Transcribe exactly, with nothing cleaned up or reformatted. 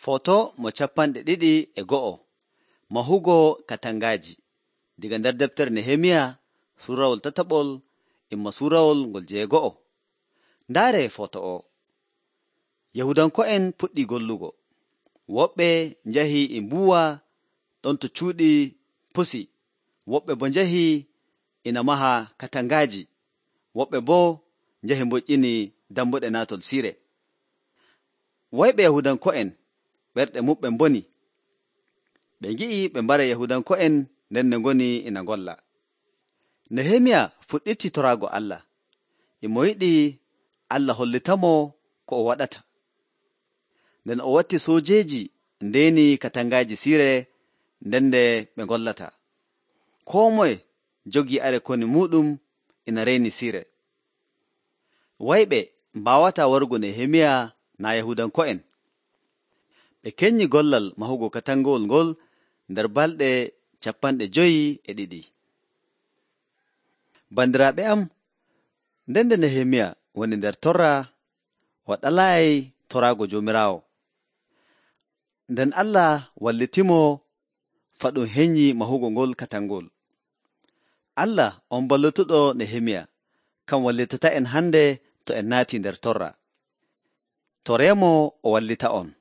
Foto mo capanɗe ɗiɗi e go'o mahugo katangaaji diga nder deftere Nehemiya suurawol tataɓol imma suurawol ngol jeego'o. Ndaare foto o. Yahudanko'en puɗɗi gollugo. Woɓɓe njahi e mbuuwa ɗon to cuuɗi pusi. Woɓɓe bo njahi ina maha katangaaji. Woɓɓe bo njahi mboƴƴini dambuɗe naatol siire. Wayɓe Yahudanko'en ɓerɗe muɓɓe mboni. Ɓe ngi'i ɓe mbara Yahudanko'en nden ne ngoni ina ngolla. Nehemiya fuɗɗiti toraago Allah. E mo yiɗi Allah hollitamo ko o waɗata. Nden o watti soojeeji ndeeni katangaaji siire nden nde ɓe ngollata. Koo moye jogii are koni muuɗum ina reyni siire. Wayɓe mbaawataa warugo Nehemiya naa Yahudanko'en. Ɓe kenyi gollal mahugo katangowol ngol nder balɗe capanɗe joyi e ɗiɗi. Bandiraaɓe am, nden nde Nehemiya woni nder torra, o ɗalaayi toraago Joomiraawo. Nden Allah wallitimo faa ɗum henyi mahugo ngol katangol. Allah on ballutuɗo Nehemiya, kam wallitata en hande to en naati nder torra. Toremo o wallita on.